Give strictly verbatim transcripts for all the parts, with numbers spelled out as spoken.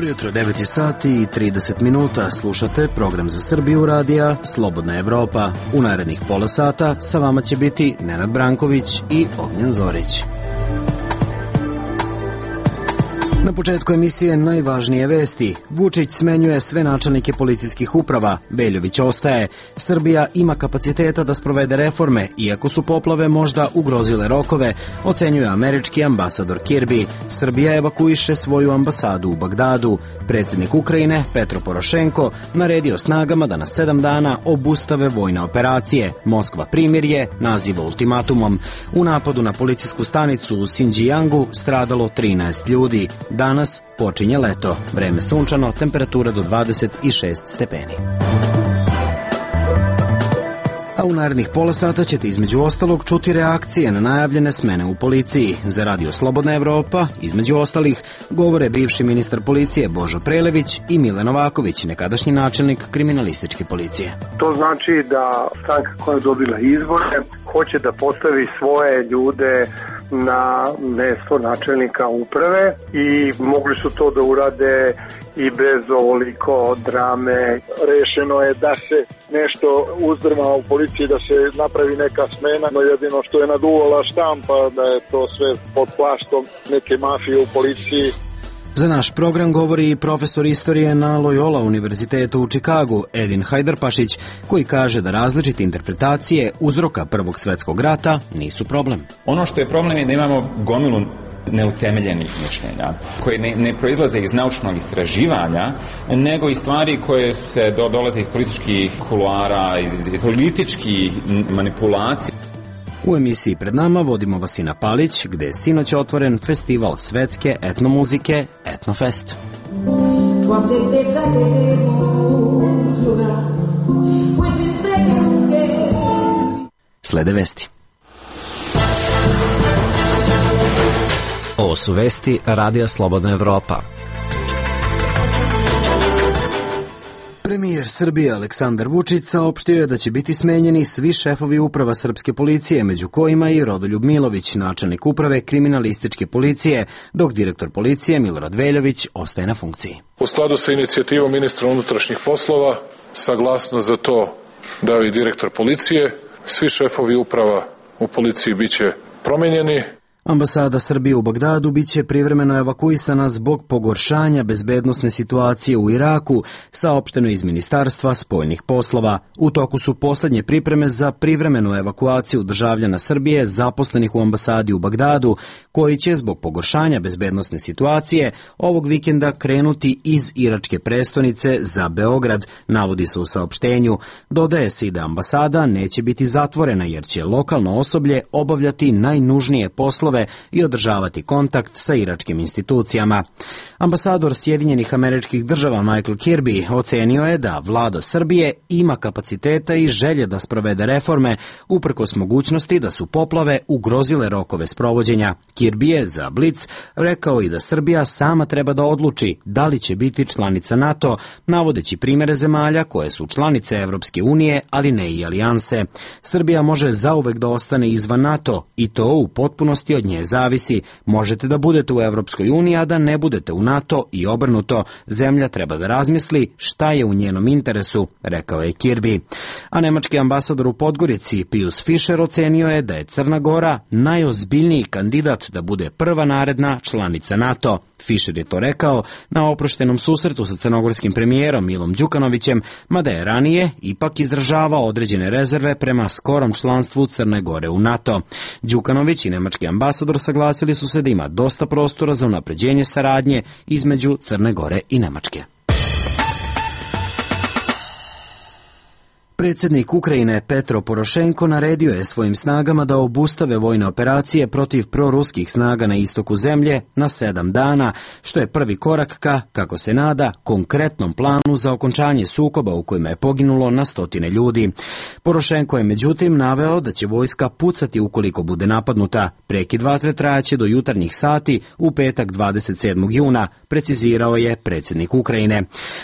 Dobro jutro, devet je sati i trideset minuta. Slušate program za Srbiju radija Slobodna Evropa. U narednih pola sata sa vama će biti Nenad Branković i Ognjen Zorić. Na početku emisije najvažnije vesti. Vučić smenjuje sve načelnike policijskih uprava. Veljović ostaje. Srbija ima kapaciteta da sprovede reforme, iako su poplave možda ugrozile rokove, ocenjuje američki ambasador Kirby. Srbija evakuiše svoju ambasadu u Bagdadu. Predsjednik Ukrajine, Petro Porošenko, naredio snagama da na sedam dana obustave vojne operacije. Moskva primirje naziva ultimatumom. U napadu na policijsku stanicu u Sinđijangu stradalo trinaest ljudi. Danas počinje leto. Vreme sunčano, temperatura do dvadeset šest stepeni. A u narednih pola sata ćete između ostalog čuti reakcije na najavljene smene u policiji. Za Radio Slobodna Evropa, između ostalih, govore bivši ministar policije Božo Prelević i Mile Novaković, nekadašnji načelnik kriminalističke policije. To znači da stranka koja je dobila izbore hoće da postavi svoje ljude na mesto načelnika uprave i mogli su to da urade i bez ovoliko drame. Rešeno je da se nešto uzdrma u policiji, da se napravi neka smena, no jedino što je naduvala štampa, da je to sve pod plaštom neke mafije u policiji. Za naš program govori i profesor istorije na Loyola univerzitetu u Čikagu, Edin Hajdarpašić, koji kaže da različite interpretacije uzroka Prvog svetskog rata nisu problem. Ono što je problem je da imamo gomilu neutemeljenih mišljenja, koje ne, ne proizlaze iz naučnog istraživanja, nego iz stvari koje se do, dolaze iz političkih kuluara, iz, iz, iz političkih manipulacija. U emisiji pred nama vodimo Vasina Palić, gde je sinoć otvoren festival svetske etnomuzike Etnofest. Slede vesti. Ovo su vesti Radija Slobodna Evropa. Premijer Srbije Aleksandar Vučić saopštio je da će biti smenjeni svi šefovi uprava srpske policije, među kojima i Rodoljub Milović, načelnik uprave kriminalističke policije, dok direktor policije Milorad Veljović ostaje na funkciji. U skladu sa inicijativom ministra unutrašnjih poslova, saglasnost za to dao i direktor policije, svi šefovi uprava u policiji biće promenjeni. Ambasada Srbije u Bagdadu biće privremeno evakuisana zbog pogoršanja bezbednosne situacije u Iraku, saopšteno iz Ministarstva spoljnih poslova. U toku su poslednje pripreme za privremenu evakuaciju državljana Srbije zaposlenih u ambasadi u Bagdadu, koji će zbog pogoršanja bezbednosne situacije ovog vikenda krenuti iz iračke prestonice za Beograd, navodi se u saopštenju. Dodaje se i da ambasada neće biti zatvorena jer će lokalno osoblje obavljati najnužnije poslove i održavati kontakt sa iračkim institucijama. Ambasador Sjedinjenih Američkih Država Michael Kirby ocenio je da vlada Srbije ima kapaciteta i želje da sprovede reforme, uprkos mogućnosti da su poplave ugrozile rokove sprovođenja. Kirby je za Blic rekao i da Srbija sama treba da odluči da li će biti članica NATO, navodeći primere zemalja koje su članice Evropske unije, ali ne i alijanse. Srbija može zauvek da ostane izvan NATO i to u potpunosti od nje zavisi. Možete da budete u Evropskoj uniji, a da ne budete u NATO i obrnuto. Zemlja treba da razmisli šta je u njenom interesu, rekao je Kirby. A nemački ambasador u Podgorici Pius Fischer ocenio je da je Crna Gora najozbiljniji kandidat da bude prva naredna članica NATO. Fischer je to rekao na oproštenom susretu sa crnogorskim premijerom Milom Đukanovićem, mada je ranije ipak izražavao određene rezerve prema skorom članstvu Crne Gore u NATO. Đukanović i nemački ambasador saglasili su se da ima dosta prostora za unapređenje saradnje između Crne Gore i Nemačke. Predsjednik Ukrajine Petro Porošenko naredio je svojim snagama da obustave vojne operacije protiv proruskih snaga na istoku zemlje na sedam dana, što je prvi korak ka, kako se nada, konkretnom planu za okončanje sukoba u kojima je poginulo na stotine ljudi. Porošenko je međutim naveo da će vojska pucati ukoliko bude napadnuta. Prekid vatre trajaće do jutarnjih sati u petak dvadeset sedmog juna, precizirao je predsjednik Ukrajine.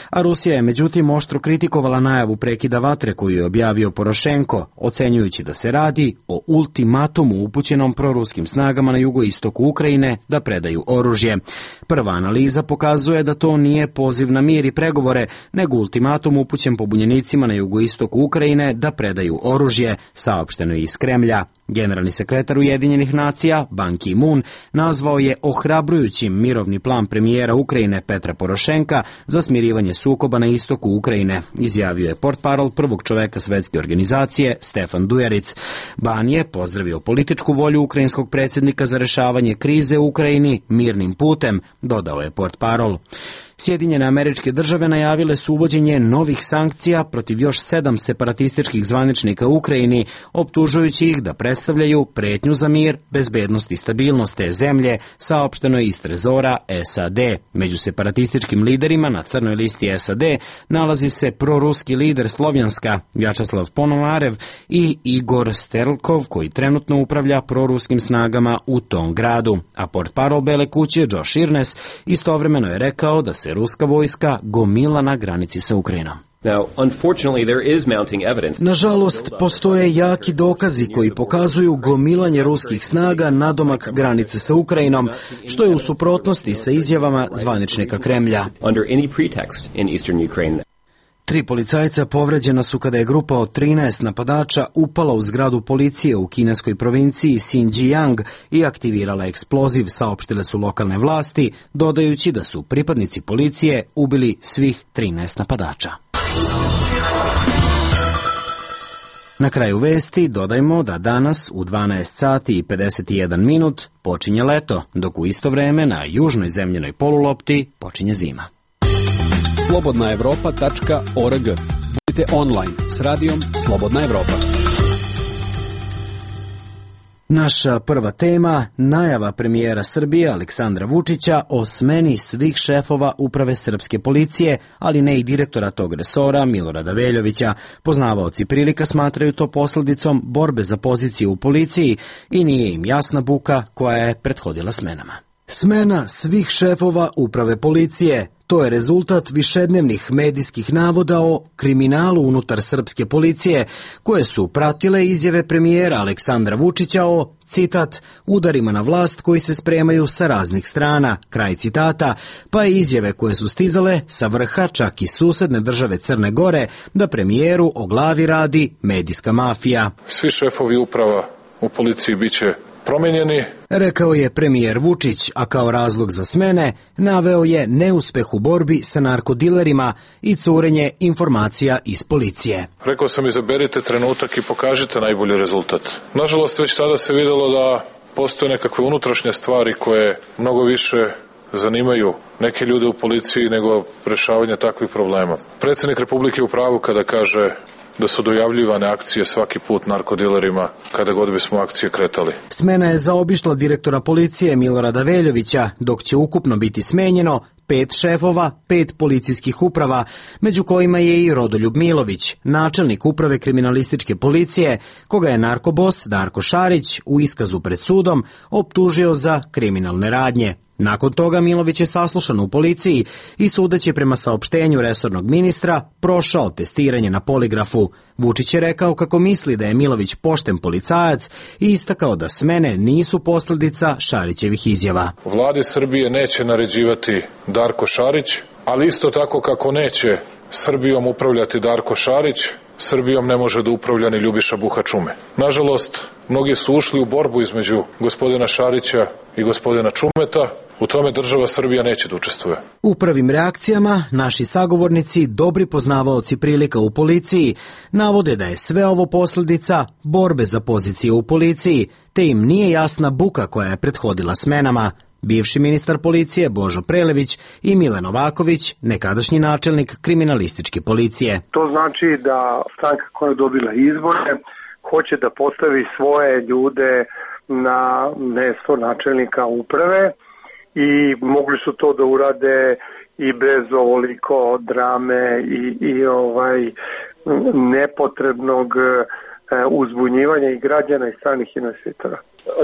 A Rusija je međutim oštro kritikovala najavu prekida vatre koju koju je objavio Porošenko, ocenjujući da se radi o ultimatumu upućenom proruskim snagama na jugoistoku Ukrajine da predaju oružje. Prva analiza pokazuje da to nije poziv na mir i pregovore, nego ultimatum upućen pobunjenicima na jugoistoku Ukrajine da predaju oružje, saopšteno je iz Kremlja. Generalni sekretar Ujedinjenih nacija, Ban Ki-moon, nazvao je ohrabrujućim mirovni plan premijera Ukrajine Petra Porošenka za smirivanje sukoba na istoku Ukrajine, izjavio je portparol prvog čoveka svetske organizacije Stefan Dujaric. Ban je pozdravio političku volju ukrajinskog predsjednika za rešavanje krize u Ukrajini mirnim putem, dodao je portparol. Sjedinjene Američke Države najavile su uvođenje novih sankcija protiv još sedam separatističkih zvaničnika u Ukrajini, optužujući ih da predstavljaju pretnju za mir, bezbednost i stabilnost te zemlje, saopšteno je iz trezora S A D. Među separatističkim liderima na crnoj listi S A D nalazi se proruski lider Slovjanska, Vjačeslav Ponomarev, i Igor Sterlkov, koji trenutno upravlja proruskim snagama u tom gradu. A portparol Bele kuće Josh Earnest istovremeno je rekao da se ruska vojska gomila na granici sa Ukrajinom. Nažalost, postoje jaki dokazi koji pokazuju gomilanje ruskih snaga nadomak granice sa Ukrajinom, što je u suprotnosti sa izjavama zvaničnika Kremlja. Tri policajca povređena su kada je grupa od trinaest napadača upala u zgradu policije u kineskoj provinciji Xinjiang i aktivirala eksploziv, saopštile su lokalne vlasti, dodajući da su pripadnici policije ubili svih trinaest napadača. Na kraju vesti dodajmo da danas u dvanaest sati i pedeset jedan minut počinje leto, dok u isto vreme na južnoj zemljenoj polulopti počinje zima. slobodna evropa tačka org. Budite online s radijom Slobodna Evropa. Naša prva tema, najava premijera Srbije Aleksandra Vučića o smeni svih šefova uprave srpske policije, ali ne i direktora tog resora Milorada Veljovića. Poznavaoci prilika smatraju to posledicom borbe za pozicije u policiji i nije im jasna buka koja je prethodila smenama. Smena svih šefova uprave policije. To je rezultat višednevnih medijskih navoda o kriminalu unutar srpske policije, koje su pratile izjave premijera Aleksandra Vučića o, citat, udarima na vlast koji se spremaju sa raznih strana, kraj citata, pa i izjave koje su stizale sa vrha čak i susedne države Crne Gore da premijeru o glavi radi medijska mafija. Svi šefovi uprava u policiji biće promenjeni, rekao je premijer Vučić, a kao razlog za smene naveo je neuspeh u borbi sa narkodilerima i curenje informacija iz policije. Rekao sam, izaberite trenutak i pokažite najbolji rezultat. Nažalost, već tada se videlo da postoje nekakve unutrašnje stvari koje mnogo više zanimaju neke ljude u policiji nego rešavanje takvih problema. Predsjednik Republike je u pravu kada kaže da su dojavljivane akcije svaki put narkodilerima kada god bismo akcije kretali. Smena je zaobišla direktora policije Milorada Veljovića, dok će ukupno biti smenjeno pet šefova, pet policijskih uprava, među kojima je i Rodoljub Milović, načelnik uprave kriminalističke policije, koga je narkobos Darko Šarić u iskazu pred sudom optužio za kriminalne radnje. Nakon toga Milović je saslušan u policiji i sudeći prema saopštenju resornog ministra prošao testiranje na poligrafu. Vučić je rekao kako misli da je Milović pošten policajac i istakao da smene nisu posljedica Šarićevih izjava. Vladi Srbije neće naređivati Darko Šarić, ali isto tako kako neće Srbijom upravljati Darko Šarić, Srbijom ne može da upravlja ni Ljubiša Buha-Čume. Nažalost, mnogi su ušli u borbu između gospodina Šarića i gospodina Čumeta. U tome država Srbija neće da učestvuje. U prvim reakcijama naši sagovornici, dobri poznavaoci prilika u policiji, navode da je sve ovo posljedica borbe za pozicije u policiji, te im nije jasna buka koja je prethodila smenama. Bivši ministar policije Božo Prelević i Mile Novaković, nekadašnji načelnik kriminalističke policije. To znači da stranka koja je dobila izbore hoće da postavi svoje ljude na mesto načelnika uprave i mogli su to da urade i bez ovoliko drame i, i ovaj nepotrebnog uzbunjivanja i građana i stranih investitora.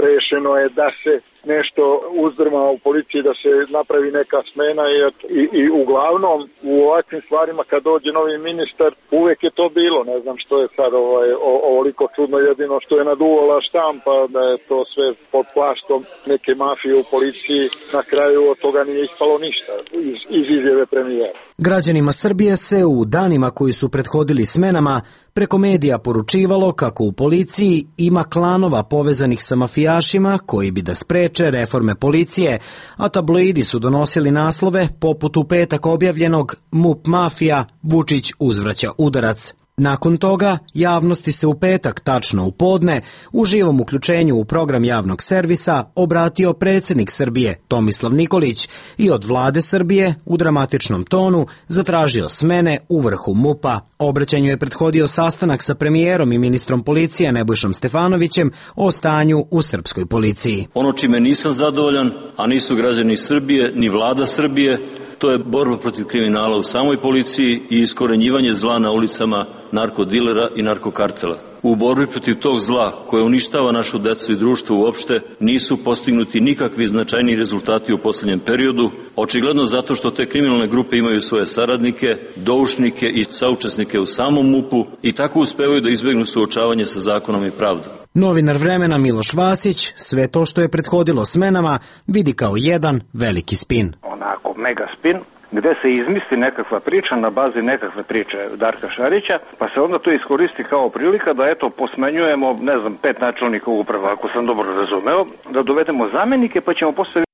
Rešeno je da se nešto uzdrma u policiji da se napravi neka smena i, i, i uglavnom u ovakvim stvarima kad dođe novi ministar uvek je to bilo, ne znam što je sad ovaj, o, ovoliko čudno, jedino što je naduvala štampa da je to sve pod plaštom neke mafije u policiji, na kraju od toga nije ispalo ništa iz, iz izjave premijera. Građanima Srbije se u danima koji su prethodili smenama preko medija poručivalo kako u policiji ima klanova povezanih sa mafijašima koji bi da spreče reforme policije, a tabloidi su donosili naslove poput u petak objavljenog MUP mafija, Vučić uzvraća udarac. Nakon toga, javnosti se u petak, tačno u podne, u živom uključenju u program javnog servisa obratio predsjednik Srbije Tomislav Nikolić i od vlade Srbije u dramatičnom tonu zatražio smene u vrhu MUP-a. Obraćanju je prethodio sastanak sa premijerom i ministrom policije Nebojšom Stefanovićem o stanju u srpskoj policiji. Ono čime nisam zadovoljan, a nisu građani Srbije ni vlada Srbije, to je borba protiv kriminala u samoj policiji i iskorenjivanje zla na ulicama narkodilera i narkokartela. U borbi protiv tog zla koje uništava našu decu i društvo uopšte nisu postignuti nikakvi značajni rezultati u posljednjem periodu, očigledno zato što te kriminalne grupe imaju svoje saradnike, doušnike i saučesnike u samom MUP-u i tako uspevaju da izbegnu suočavanje sa zakonom i pravdom. Novinar Vremena Miloš Vasić sve to što je prethodilo smenama vidi kao jedan veliki spin. Onako mega spin, gde se izmisli nekakva priča na bazi nekakve priče Darka Šarića, pa se onda to iskoristi kao prilika da eto posmenjujemo, ne znam, pet načelnika uprava, ako sam dobro razumeo, da dovedemo zamenike pa ćemo postaviti,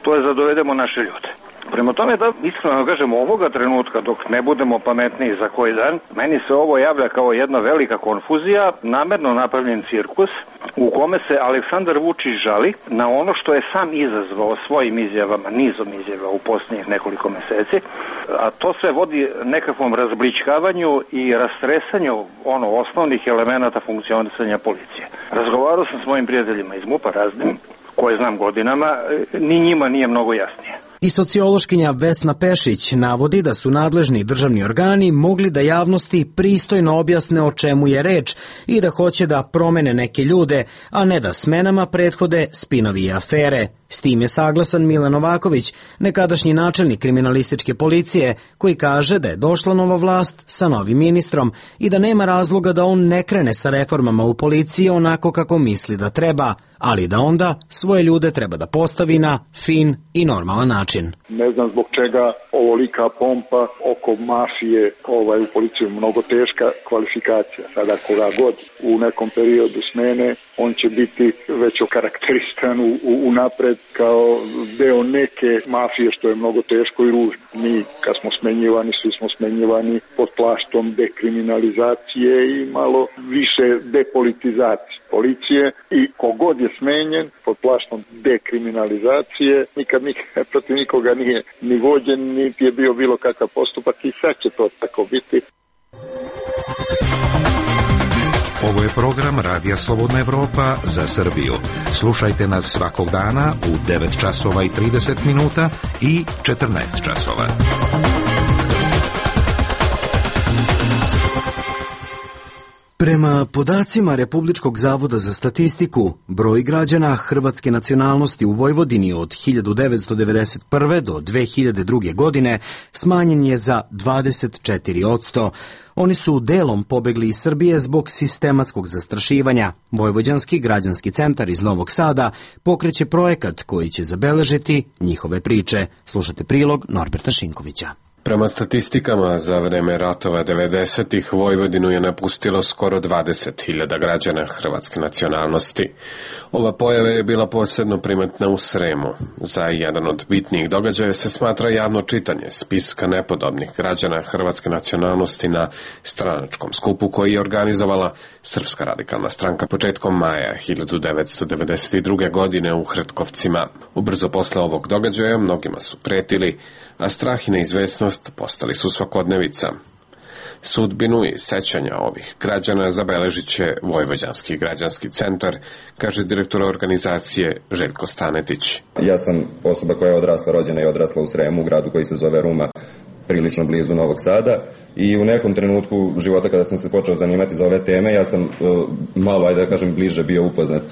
to je da dovedemo naše ljude. Prema tome, da iskreno kažemo, ovoga trenutka dok ne budemo pametniji za koji dan, meni se ovo javlja kao jedna velika konfuzija, namerno napravljen cirkus u kome se Aleksandar Vučić žali na ono što je sam izazvao svojim izjavama, nizom izjava u posljednjih nekoliko meseci, a to sve vodi nekakvom razbličkavanju i rastresanju ono osnovnih elemenata funkcionisanja policije. Razgovarao sam s mojim prijateljima iz MUP-a raznim, koje znam godinama, ni njima nije mnogo jasnije. I sociološkinja Vesna Pešić navodi da su nadležni državni organi mogli da javnosti pristojno objasne o čemu je reč i da hoće da promene neke ljude, a ne da smenama prethode spinovi i afere. S tim je saglasan Milan Novaković, nekadašnji načelnik kriminalističke policije, koji kaže da je došla nova vlast sa novim ministrom i da nema razloga da on ne krene sa reformama u policiji onako kako misli da treba, ali da onda svoje ljude treba da postavi na fin i normalan način. Ne znam zbog čega ovolika pompa oko mafije ovaj, u policiju, mnogo teška kvalifikacija. Sada koga god u nekom periodu smene, on će biti već okarakterisan u, u, u napred kao deo neke mafije, što je mnogo teško i ružno. Mi kad smo smenjivani, svi smo smenjivani pod plaštom dekriminalizacije i malo više depolitizacije policije i kogod je smenjen pod plaštom dekriminalizacije, nikad nikad protiv nikoga nije ni vođen, niti je bio bilo kakav postupak i sad će to tako biti. Ovo je program Radija Slobodna Evropa za Srbiju. Slušajte nas svakog dana u devet časova i trideset minuta i četrnaest časova. Prema podacima Republičkog zavoda za statistiku, broj građana hrvatske nacionalnosti u Vojvodini od hiljadu devetsto devedeset prve. do dve hiljade druge. godine smanjen je za dvadeset četiri posto. Oni su delom pobegli iz Srbije zbog sistematskog zastrašivanja. Vojvođanski građanski centar iz Novog Sada pokreće projekat koji će zabeležiti njihove priče. Slušate prilog Norberta Šinkovića. Prema statistikama za vreme ratova devedesetih Vojvodinu je napustilo skoro dvadeset hiljada građana hrvatske nacionalnosti. Ova pojava je bila posebno primetna u Sremu. Za jedan od bitnijih događaja se smatra javno čitanje spiska nepodobnih građana hrvatske nacionalnosti na stranačkom skupu koji je organizovala Srpska radikalna stranka početkom maja hiljadu devetsto devedeset druge. godine u Hrtkovcima. Ubrzo posle ovog događaja mnogima su pretili, a strah i neizvesnost postali su svakodnevica. Sudbinu i sećanja ovih građana zabeležit će Vojvođanski građanski centar, kaže direktor organizacije Željko Stanetić. Ja sam osoba koja je odrasla, rođena i odrasla u Sremu, u gradu koji se zove Ruma, prilično blizu Novog Sada, i u nekom trenutku života kada sam se počeo zanimati za ove teme, ja sam uh, malo, ajde da kažem, bliže bio upoznat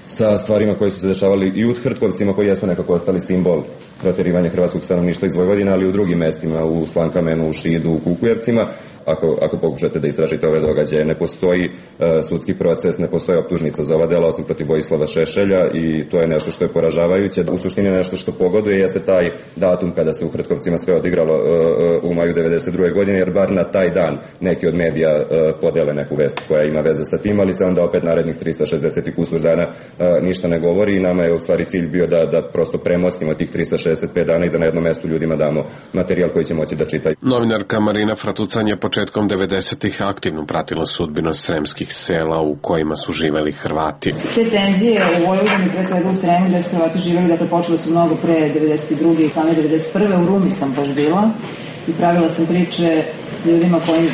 sa stvarima koje su se dešavali i u Hrtkovcima, koji jeste nekako ostali simbol proterivanja hrvatskog stanovništva iz Vojvodine, ali i u drugim mestima, u Slankamenu, u Šidu, u Kukujevcima. Ako, ako pokušate da istražite ove događaje, ne postoji uh, sudski proces, ne postoji optužnica za ova dela osim protiv Vojislava Šešelja i to je nešto što je poražavajuće. U suštini nešto što pogoduje jeste taj datum kada se u Hrtkovcima sve odigralo uh, u maju devedeset druge godine, jer bar na taj dan neki od medija uh, podele neku vest koja ima veze sa tim, ali se onda opet narednih trista šezdeset i kusur dana uh, ništa ne govori i nama je u stvari cilj bio da, da prosto premostimo tih trista šezdeset pet dana i da na jednom mestu ljudima damo materijal koji će moći da čitaju. Novinarka Marina Fratucan je početkom devedesetih aktivno pratila sudbinu sremskih sela u kojima su živeli Hrvati. Te tenzije u Vojvodini, pre svega u Sremu, gde su Hrvati živeli, dakle počele su mnogo pre devedeset druge i same devedeset prve. U Rumi sam baš bila i pravila sam priče s ljudima koji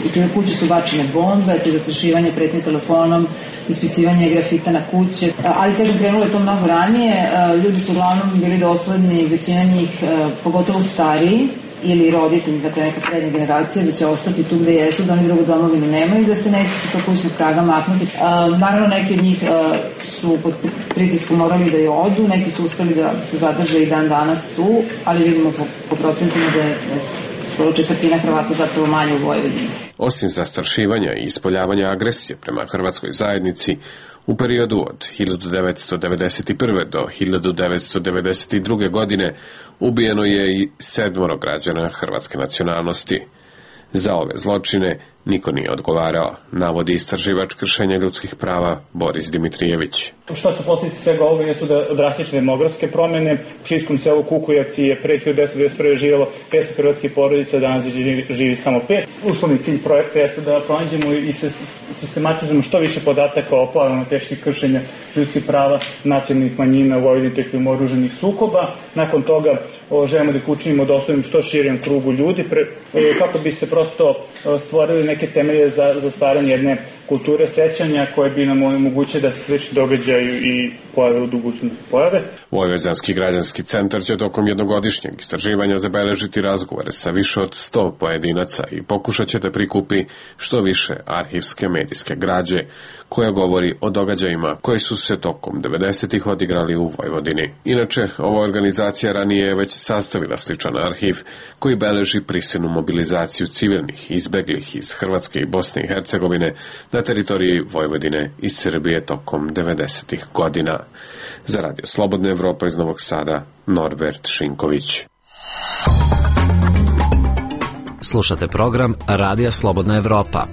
u čiju kuću su bačene bombe, to je zastrašivanje, pretnje telefonom, ispisivanje grafita na kuće. Ali, kažem, krenulo je to mnogo ranije. Ljudi su uglavnom bili dosledni, većina njih, pogotovo stariji, ili roditelji, dakle neka srednja generacija, da će ostati tu gde jesu, da oni drugu domovinu nemaju, da se neće sa to kućnog praga maknuti. A, naravno, neki od njih a, su pod pritiskom morali da je odu, neki su uspeli da se zadrže i dan danas tu, ali vidimo po, po procentima da je skoro četvrtina Hrvata zapravo manje u Vojvodini. Osim zastrašivanja i ispoljavanja agresije prema hrvatskoj zajednici, u periodu od hiljadu devetsto devedeset prve. do hiljadu devetsto devedeset druge. godine ubijeno je i sedmoro građana hrvatske nacionalnosti. Za ove zločine niko nije odgovarao, navodi istraživač kršenja ljudskih prava Boris Dimitrijević. Što su posljedice svega ovoga jesu da drastične demografske promjene. U Šijskom selu Kukujevci je pre hiljadu devetsto devedeset prve. živjelo petsto hrvatskih porodica, danas živi, živi samo pet. Uslovni cilj projekta jeste da pronađemo i sistematizujemo što više podataka o pojavama teških kršenja ljudskih prava nacionalnih manjina u Vojvodini tokom oružanih sukoba. Nakon toga o, želimo da ih učinimo dostupnim što širijem krugu ljudi, pre, kako bi se prosto stvorili neke temelje za, za stvaranje jedne kulture sećanja koje bi nam omogućile da se slični događaju i pojave u budućnosti pojave. Vojvođanski građanski centar će tokom jednogodišnjeg istraživanja zabeležiti razgovore sa više od sto pojedinaca i pokušat će da prikupi što više arhivske medijske građe koja govori o događajima koji su se tokom devedesetih odigrali u Vojvodini. Inače, ova organizacija ranije je već sastavila sličan arhiv koji beleži prisilnu mobilizaciju civilnih izbeglih iz Hrvatske i Bosne i Hercegovine na teritoriji Vojvodine i Srbije tokom devedesetih godina. Za Radio Slobodna Evropa iz Novog Sada, Norbert Šinković. Slušate program Radija Slobodna Evropa.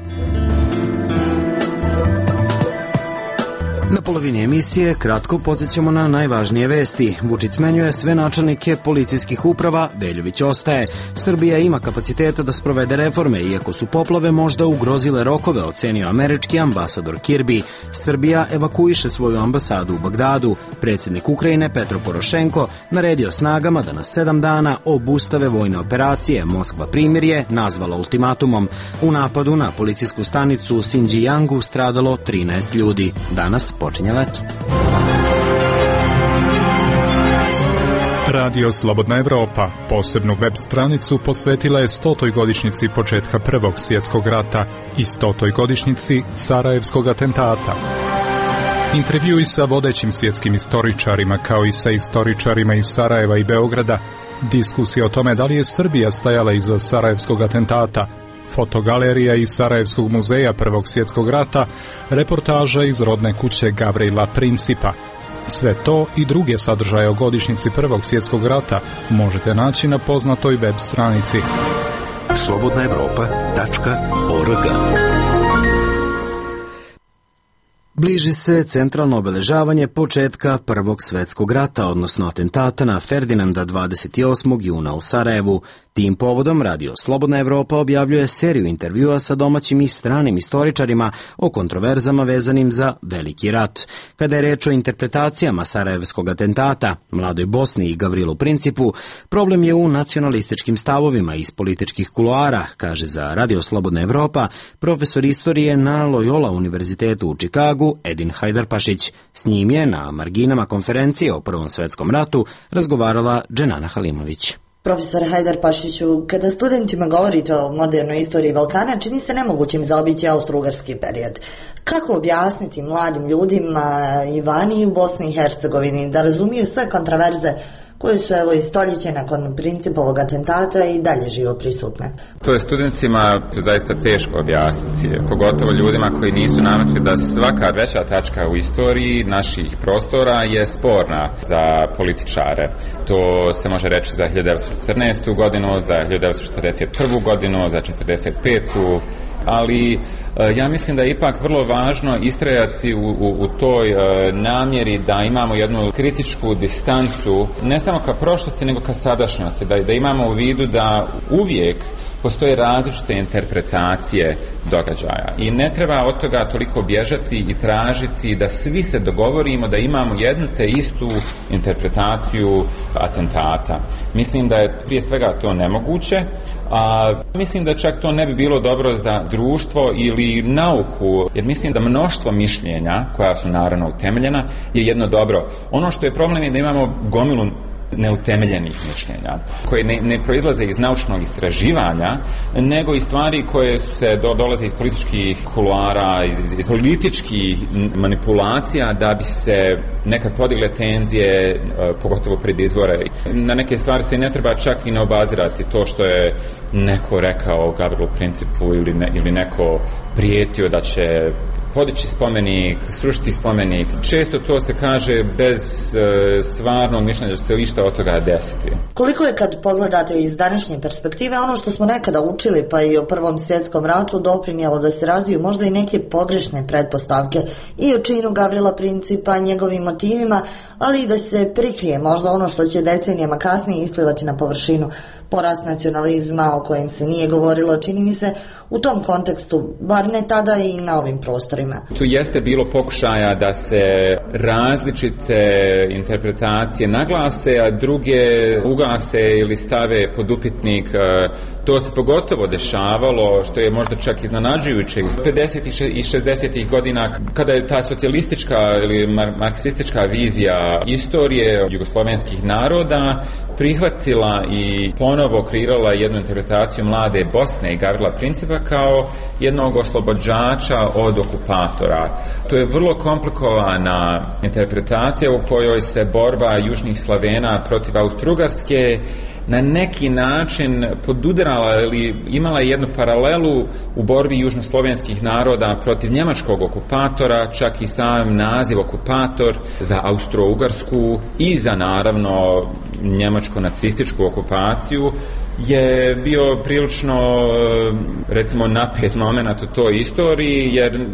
Na polovini emisije kratko podsjećamo na najvažnije vesti. Vučić smenjuje sve načelnike policijskih uprava, Veljović ostaje. Srbija ima kapaciteta da sprovede reforme, iako su poplave možda ugrozile rokove, ocenio američki ambasador Kirby. Srbija evakuiše svoju ambasadu u Bagdadu. Predsjednik Ukrajine Petro Porošenko naredio snagama da na sedam dana obustave vojne operacije. Moskva primirje nazvala ultimatumom. U napadu na policijsku stanicu u Sinđijangu stradalo trinaest ljudi. Danas počinje leto. Radio Slobodna Evropa posebnu web stranicu posvetila je stotoj godišnjici početka Prvog svjetskog rata i stotoj godišnjici Sarajevskog atentata. Intervjui sa vodećim svjetskim istoričarima kao i sa istoričarima iz Sarajeva i Beograda, diskusija o tome da li je Srbija stajala iza Sarajevskog atentata, fotogalerija iz Sarajevskog muzeja Prvog svjetskog rata, reportaža iz rodne kuće Gavrila Principa. Sve to i druge sadržaje o godišnjici Prvog svjetskog rata možete naći na poznatoj web stranici slobodna evropa tačka org. Bliži se centralno obeležavanje početka Prvog svjetskog rata, odnosno atentata na Ferdinanda dvadeset osmog juna u Sarajevu. Tim povodom Radio Slobodna Evropa objavljuje seriju intervjua sa domaćim i stranim istoričarima o kontroverzama vezanim za Veliki rat. Kada je reč o interpretacijama Sarajevskog atentata, Mladoj Bosni i Gavrilu Principu, problem je u nacionalističkim stavovima iz političkih kuloara, kaže za Radio Slobodna Evropa profesor istorije na Loyola univerzitetu u Čikagu Edin Hajdarpašić. S njim je na marginama konferencije o Prvom svjetskom ratu razgovarala Dženana Halimović. Profesor Hajdar Pašiću, kada studentima govorite o modernoj istoriji Balkana, čini se nemogućim zaobići austro-ugarski period. Kako objasniti mladim ljudima i vani u Bosni i Hercegovini da razumiju sve kontraverze koje su evo i stoljeće nakon Principovog atentata i dalje živo prisutne? To je studentima zaista teško objasniti, pogotovo ljudima koji nisu navikli da svaka veća tačka u istoriji naših prostora je sporna za političare. To se može reći za hiljadu devetsto četrnaestu godinu, za hiljadu devetsto četrdeset prvu godinu, za četrdeset petu ali ja mislim da je ipak vrlo važno istrajati u, u, u toj e, namjeri da imamo jednu kritičku distancu ne samo ka prošlosti nego ka sadašnjosti, da, da imamo u vidu da uvijek postoje različite interpretacije događaja i ne treba od toga toliko bježati i tražiti da svi se dogovorimo da imamo jednu te istu interpretaciju atentata. Mislim da je prije svega to nemoguće, a mislim da čak to ne bi bilo dobro za društvo ili nauku, jer mislim da mnoštvo mišljenja koja su naravno utemeljena je jedno dobro. Ono što je problem je da imamo gomilu neutemeljenih mišljenja, koje ne, ne proizlaze iz naučnog istraživanja, nego iz stvari koje se do, dolaze iz političkih kuluara, iz, iz, iz političkih manipulacija da bi se nekad podigle tenzije, pogotovo pred izbore. Na neke stvari se ne treba čak i ne obazirati to što je neko rekao Gavrilu Principu ili, ne, ili neko prijetio da će podići spomenik, srušiti spomenik. Često to se kaže bez e, stvarnog mišljenja da se išta od toga desiti. Koliko je kad pogledate iz današnje perspektive ono što smo nekada učili pa i o Prvom svjetskom ratu doprinijelo da se razviju možda i neke pogrešne pretpostavke i o činu Gavrila Principa, njegovim motivima, ali i da se prikrije možda ono što će decenijama kasnije isplivati na površinu, porast nacionalizma o kojem se nije govorilo, čini mi se u tom kontekstu, bar ne tada i na ovim prostorima. Tu jeste bilo pokušaja da se različite interpretacije naglase, a druge ugase ili stave pod upitnik. To se pogotovo dešavalo, što je možda čak iznenađujuće iz pedesetih i šezdesetih godina, kada je ta socijalistička ili marksistička vizija istorije jugoslovenskih naroda prihvatila i ponovo kreirala jednu interpretaciju mlade Bosne i Gavrila Principa kao jednog oslobođača od okupatora. To je vrlo komplikovana interpretacija u kojoj se borba južnih Slavena protiv Austro-Ugarske na neki način podudarala ili imala jednu paralelu u borbi južnoslovenskih naroda protiv njemačkog okupatora, čak i sam naziv okupator za Austro-Ugarsku i za naravno njemačko-nacističku okupaciju je bio prilično recimo napet moment u toj istoriji, jer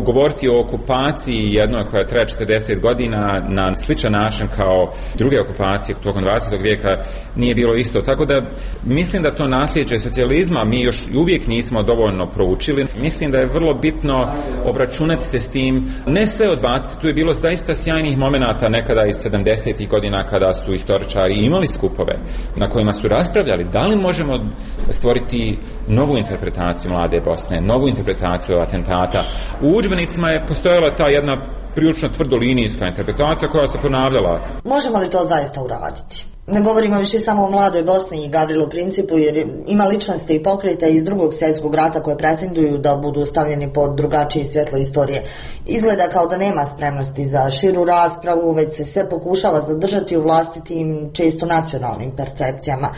govoriti o okupaciji jednoj koja traje četrdeset godina na sličan način kao druge okupacije tokom dvadesetog vijeka nije bilo isto. Tako da mislim da to nasljeđe socijalizma mi još uvijek nismo dovoljno proučili. Mislim da je vrlo bitno obračunati se s tim, ne sve odbaciti. Tu je bilo zaista sjajnih momenata nekada iz sedamdesetih godina kada su istoričari imali skupove na kojima su raspravljali da li možemo stvoriti novu interpretaciju mlade Bosne, novu interpretaciju atentata. U udžbenicima je postojala ta jedna prilično tvrdolinijska interpretacija koja se ponavljala. Možemo li to zaista uraditi? Ne govorimo više samo o mladoj Bosni i Gavrilu Principu, jer ima ličnosti i pokreta iz Drugog svjetskog rata koje pretenduju da budu stavljeni pod drugačije svjetlo istorije. Izgleda kao da nema spremnosti za širu raspravu, već se sve pokušava zadržati u vlastitim, često nacionalnim percepcijama.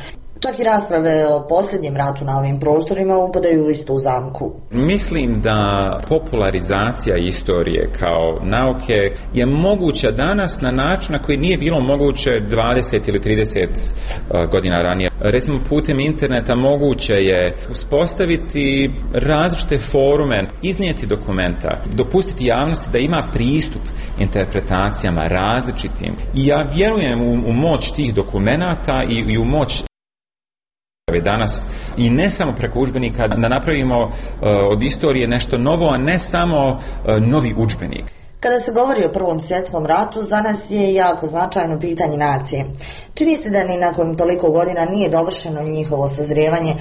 Čak i rasprave o posljednjem ratu na ovim prostorima upadaju u istu zamku. Mislim da popularizacija istorije kao nauke je moguća danas na način na koji nije bilo moguće dvadeset ili trideset godina ranije. Recimo putem interneta moguće je uspostaviti različite forume, iznijeti dokumenta, dopustiti javnosti da ima pristup interpretacijama različitim. I ja vjerujem u, u moć tih dokumenata i, i u moć danas i ne samo preko udžbenika da napravimo uh, od istorije nešto novo, a ne samo uh, novi udžbenik. Kada se govori o Prvom svjetskom ratu, za nas je jako značajno pitanje nacije. Čini se da ni nakon toliko godina nije dovršeno njihovo sazrijevanje,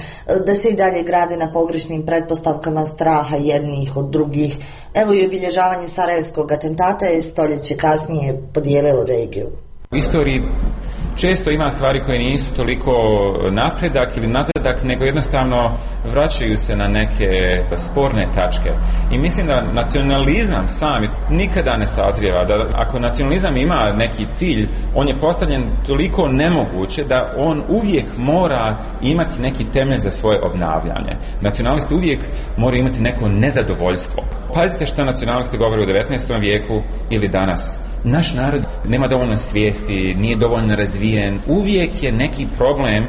da se i dalje grade na pogrešnim pretpostavkama straha jednih od drugih. Evo i obilježavanje Sarajevskog atentata je stoljeće kasnije podijelilo regiju. U istoriji često ima stvari koje nisu toliko napredak ili nazadak, nego jednostavno vraćaju se na neke sporne tačke. I mislim da nacionalizam sam nikada ne sazrijeva, da ako nacionalizam ima neki cilj, on je postavljen toliko nemoguće da on uvijek mora imati neki temelj za svoje obnavljanje. Nacionalisti uvijek moraju imati neko nezadovoljstvo. Pazite što nacionalisti govore u devetnaestom vijeku ili danas. Naš narod nema dovoljno svijesti, nije dovoljno razvijen, uvijek je neki problem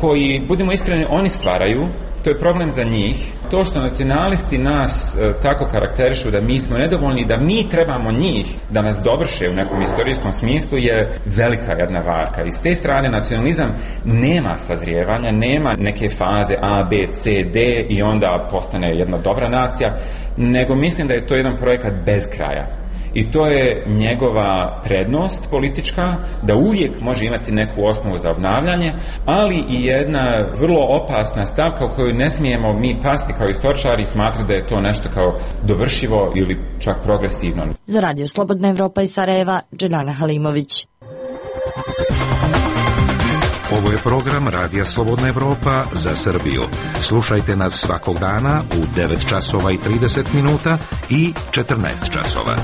koji, budemo iskreni, oni stvaraju, to je problem za njih. To što nacionalisti nas e, tako karakterišu da mi smo nedovoljni, da mi trebamo njih da nas dovrše u nekom istorijskom smislu je velika jedna varka. I s te strane nacionalizam nema sazrijevanja, nema neke faze A, B, C, D i onda postane jedna dobra nacija, nego mislim da je to jedan projekat bez kraja. I to je njegova prednost politička, da uvijek može imati neku osnovu za obnavljanje, ali i jedna vrlo opasna stavka u koju ne smijemo mi pasti kao istoričari i smatrati da je to nešto kao dovršivo ili čak progresivno. Za Radio Slobodna Evropa iz Sarajeva, Dželana Halimović. Ovo je program Radija Slobodna Evropa za Srbiju. Slušajte nas svakog dana u devet časova i trideset minuta i četrnaest časova.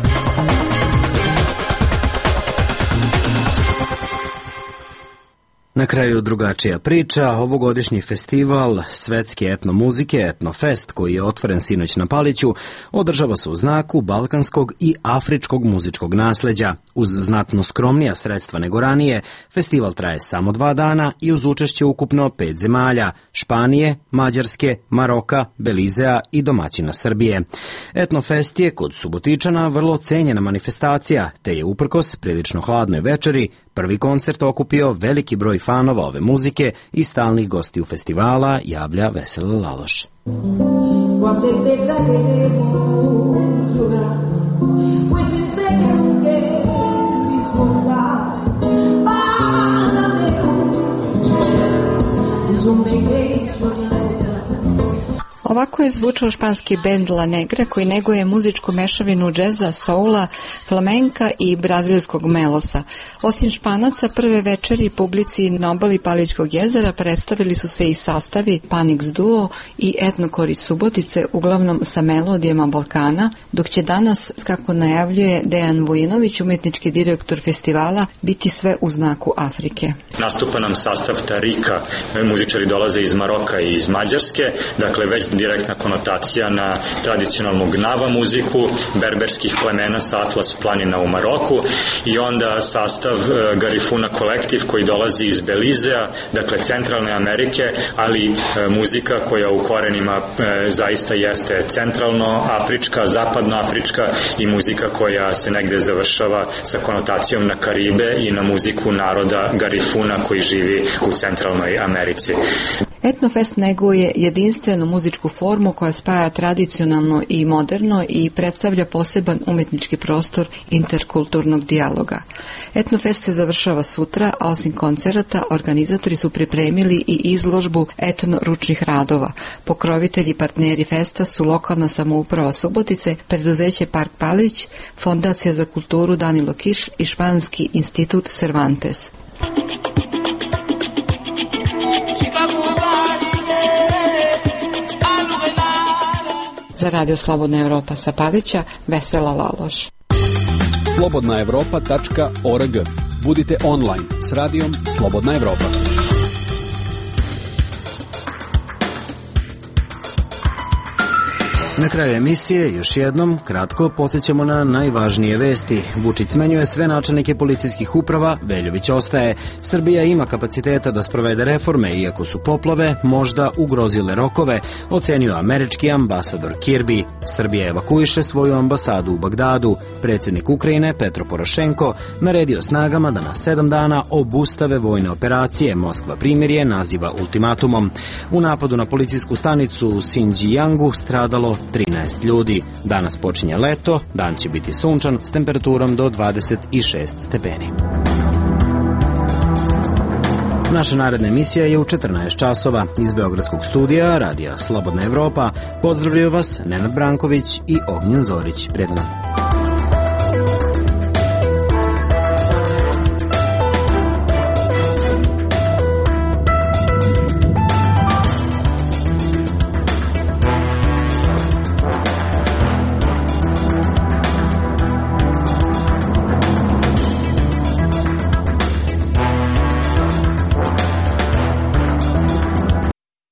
Na kraju drugačija priča, ovogodišnji festival svetske etnomuzike Etnofest, koji je otvoren sinoć na Paliću, održava se u znaku balkanskog i afričkog muzičkog nasleđa. Uz znatno skromnija sredstva nego ranije, festival traje samo dva dana i uz učešće ukupno pet zemalja, Španije, Mađarske, Maroka, Belizea i domaćina Srbije. Etnofest je kod Subotičana vrlo cenjena manifestacija, te je uprkos prilično hladnoj večeri prvi koncert okupio veliki broj fanova ove muzike i stalnih gostiju festivala, javlja Vesela Laloš. Ovako je zvučao španski bend La Negra, koji neguje muzičku mešavinu džeza, soula, flamenka i brazilskog melosa. Osim Španaca, prve večeri publici na obali Palićkog jezera predstavili su se i sastavi Panix Duo i Etnokor iz Subotice, uglavnom sa melodijama Balkana, dok će danas, kako najavljuje Dejan Vujinović, umjetnički direktor festivala, biti sve u znaku Afrike. Nastupa nam sastav Tarika, muzičari dolaze iz Maroka i iz Mađarske, dakle već direktna konotacija na tradicionalnu gnava muziku berberskih plemena sa Atlas planina u Maroku, i onda sastav e, Garifuna kolektiv koji dolazi iz Belizea, dakle centralne Amerike, ali e, muzika koja u korenima e, zaista jeste centralno-afrička, zapadno-afrička i muzika koja se negde završava sa konotacijom na Karibe i na muziku naroda Garifuna koji živi u centralnoj Americi. Etnofest neguje jedinstvenu muzičku formu koja spaja tradicionalno i moderno i predstavlja poseban umjetnički prostor interkulturnog dijaloga. Etnofest se završava sutra, a osim koncerata organizatori su pripremili i izložbu etno-ručnih radova. Pokrovitelji i partneri festa su lokalna samouprava Subotice, preduzeće Park Palić, Fondacija za kulturu Danilo Kiš i Španski institut Cervantes. Za Radio Slobodna Evropa sa Palića, Vesela Laloš. slobodna evropa tačka org. Budite online s radijom Slobodna Evropa. Na kraju emisije još jednom kratko podsjećamo na najvažnije vesti. Vučić smenjuje sve načelnike policijskih uprava, Veljović ostaje. Srbija ima kapaciteta da sprovede reforme, iako su poplave možda ugrozile rokove, ocenio američki ambasador Kirby. Srbija evakuiše svoju ambasadu u Bagdadu. Predsjednik Ukrajine Petro Porošenko naredio snagama da na sedam dana obustave vojne operacije. Moskva primirje naziva ultimatumom. U napadu na policijsku stanicu u Xinjiangu stradalo trinaest ljudi. Danas počinje leto, dan će biti sunčan s temperaturom do dvadeset šest stepeni. Naša naredna emisija je u četrnaest časova. Iz Beogradskog studija Radija Slobodna Evropa pozdravljaju vas Nenad Branković i Ognjen Zorić. Prijatno.